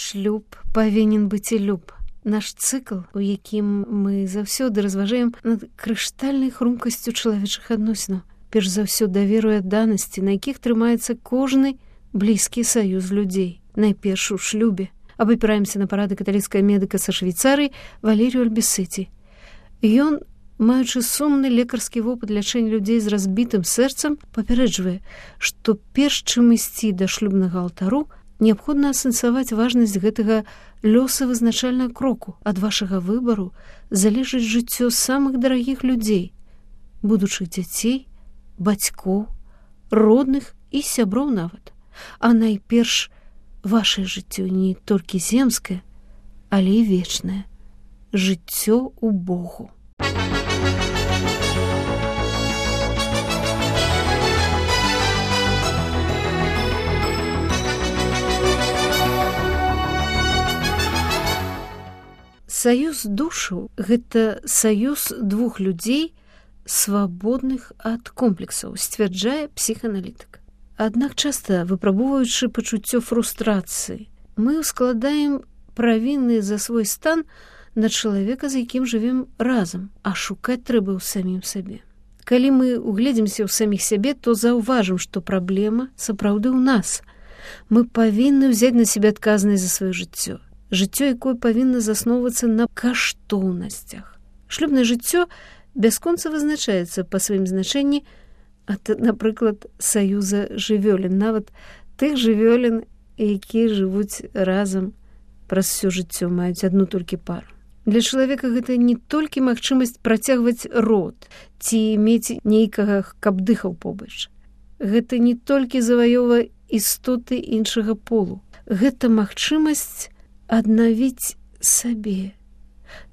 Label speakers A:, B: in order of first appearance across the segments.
A: Шлюб павінен быць і люб. Наш цыкл, у якім мы заўсёды разважаем над крыштальнай хрумкасцю чалавечых адносінаў. Перш за ўсё даверу і адданасці, на якіх трымаецца кожны блізкі саюз людзей. Найперш у шлюбе. Абапіраемся на парады каталіцкага медыка са Швейцарыі Валерію Альбісеці. Ён, маючы сумны лекарскі вопыт лячэння людзей з разбітым сэрцам, папярэджвае, што перш чым ісці да шлюбнага алтару, неабходна асэнсаваць важнасць гэтага лёсавызначальнага кроку. Ад вашага выбару залежыць жыццё самых дарагіх людзей, будучых дзяцей, бацькоў, родных і сяброў нават. А найперш вашае жыццё не толькі земскае, але і вечнае. Жыццё ў Богу. Саюз душаў – гэта саюз двух людзей, свабодных ад комплексаў, сцвярджае псіханалітык. Аднак часта, выпрабоўваючы пачуццё фрустрацыі, мы ускладаем правіны за свой стан на чалавека, з якім жывем разам, а шукаць трэба ў самім сабе. Калі мы угледзімся ў саміх сябе, то заўважым, што праблема сапраўды ў нас. Мы павінны ўзяць на сябе адказнасць за сваё жыццё. Жыццё, якое павінна засноўвацца на каштоўнасцях. Шлюбнае жыццё бясконца вызначаецца па сваім значэнні ад, напрыклад, саюза жывёлін, нават тых жывёлін, якія жывуць разам праз усё жыццё, маюць адну толькі пару. Для чалавека гэта не толькі магчымасць працягваць род ці мець нейкага, каб дыхаў побач. Гэта не толькі заваёва істоты іншага полу. Гэта магчымасць аднавіць сабе,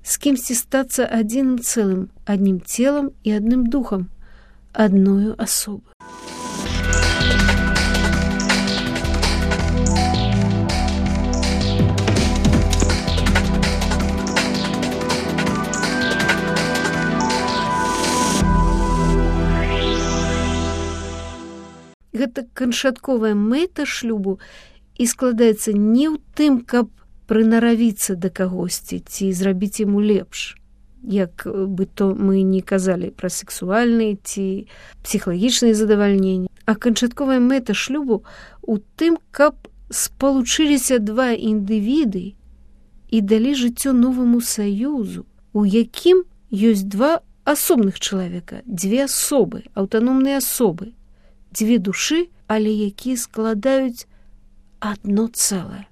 A: з кімсьці стацца адзіным цэлым, адным целам і адным духам, адною асобы. Гэта канчатковая мэта шлюбу і складаецца не ў тым, каб прынаравіцца да кагосьці ці зрабіць яму лепш, як бы то мы не казалі пра сексуальныя ці псіхалагічныя задавальненні. А канчатковая мэта шлюбу ў тым, каб спалучыліся два індывіды і далі жыццё новаму саюзу, у якім ёсць два асобных чалавека, дзве асобы, аўтаномныя асобы, дзве душы, але якія складаюць адно цэлае.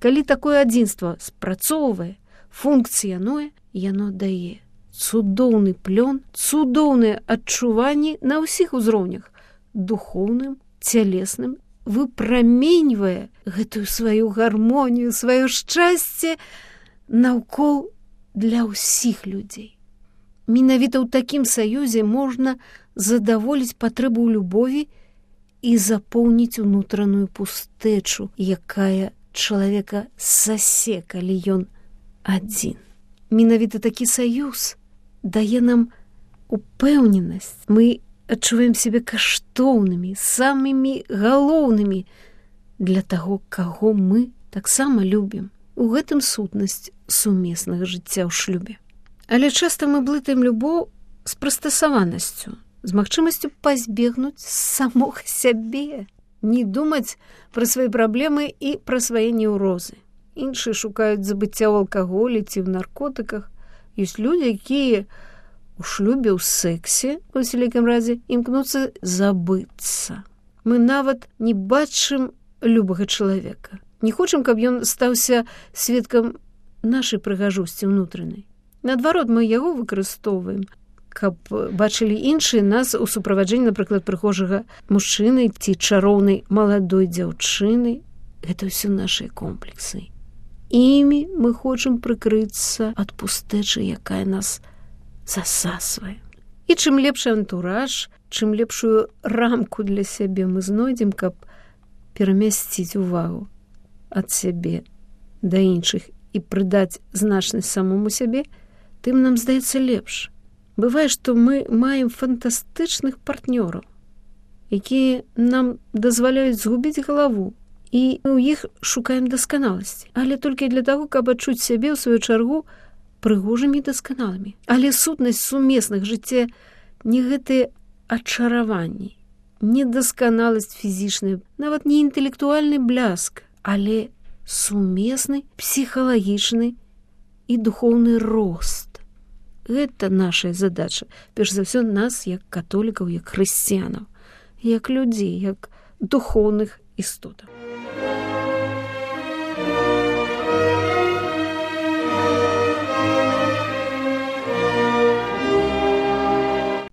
A: Калі такое адзінства спрацоўвае, функцыянуе, яно дае цудоўны плён, цудоўныя адчуванні на ўсіх узроўнях, духоўным, цялесным, выпраменьвае гэтую сваю гармонію, сваё шчасце наўкол для ўсіх людзей. Менавіта ў такім саюзе можна задаволіць патрэбу ў любові і запоўніць унутраную пустэчу, якая чалавека засе, калі ён адзін. Менавіта такі саюз дае нам упэўненасць. Мы адчуваем сябе каштоўнымі, самымі галоўнымі для таго, каго мы таксама любім. У гэтым сутнасць сумеснага жыцця ў шлюбе. Але часта мы блытаем любоў з прыстасаванасцю, з магчымасцю пазбегнуць самога сябе, не думаць пра свае праблемы і пра свае неўрозы. Іншыя шукаюць забыцця ў алкаголі ці ў наркотыках. Ёсць людзі, якія у шлюбе, ў сексе, у вялікім разе, імкнуцца забыцца. Мы нават не бачым любага чалавека. Не хочам, каб ён стаўся сведкам нашай прыгажосці ўнутранай. Наадварот, мы яго выкарыстоўваем, каб бачылі іншыя нас у суправаджэнні, напрыклад, прыгожага мужчыны ці чароўнай маладой дзяўчыны. Гэта ўсё нашыя комплексы. Імі мы хочам прыкрыцца ад пустэчы, якая нас засасвае. І чым лепшы антураж, чым лепшую рамку для сябе мы знойдзем, каб перамясціць увагу ад сябе да іншых і прыдаць значнасць самому сябе, тым нам здаецца лепш. Бывае, што мы маем фантастычных партнёраў, якія нам дазваляюць згубіць галаву і ў іх шукаем дасканаласці, але толькі для таго, каб адчуць сябе ў сваю чаргу прыгожымі і дасканалымі. Але сутнасць сумесных жыцця не гэтыя ачараванні, не дасканаласць фізічная, нават не інтэлектуальны бляск, але сумесны псіхалагічны і духоўны рост. Гэта наша задача, перш за ўсё нас, як католікаў, як хрысціянаў, як людзей, як духоўных істотаў.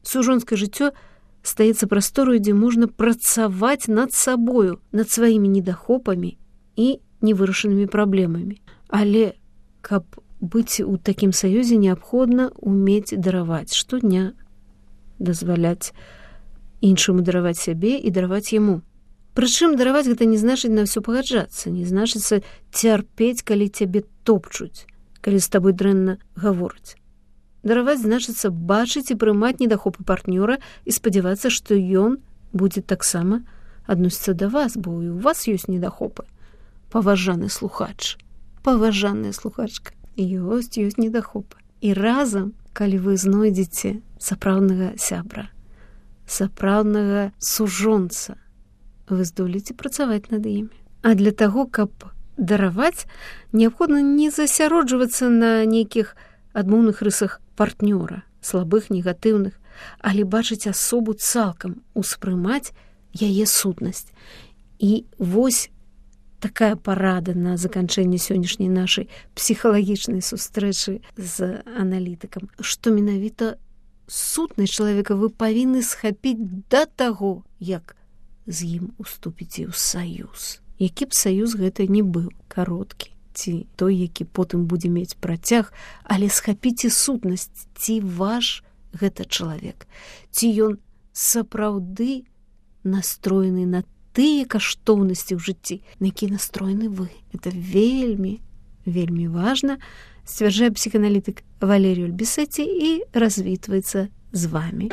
A: Сужонскае жыццё стаецца прасторою, дзе можна працаваць над сабою, над сваімі недахопамі і невырашанымі праблемамі. Але каб быць у такім саюзе, неабходна умець дараваць штодня, дазваляць іншаму дараваць сябе і дараваць яму. Прычым дараваць гэта не значыць на ўсё пагаджацца, не значыцца цярпець, калі цябе топчуць, калі з табой дрэнна гавораць. Дараваць значыцца бачыць і прымаць недахопы партнёра і спадзявацца, што ён будзе таксама адносіцца да вас, бо і ў вас ёсць недахопы. Паважаны слухач, паважаная слухачка, ёсць недахопы. І разам, калі вы знойдзеце сапраўднага сябра, сапраўднага сужонца, вы здолеце працаваць над імі. А для таго, каб дараваць, неабходна не засяроджвацца на нейкіх адмоўных рысах партнёра, слабых, негатыўных, але бачыць асобу цалкам, успрымаць яе сутнасць. І вось такая парада на заканчэнне сённяшняй нашай псіхалагічнай сустрэчы з аналітыкам, што менавіта сутнасць чалавека вы павінны схапіць да таго, як з ім уступіце ў саюз. Які б саюз гэта не быў, кароткі, ці той, які потым будзе мець працяг, але схапіце сутнасць, ці ваш гэта чалавек, ці ён сапраўды настроены на тыя каштоўнасці ў жыцці, на які настроены вы. Это вельмі, вельмі важна, сцвярджае псіханалітык Валерій Ульбісеці і развітваецца з вами.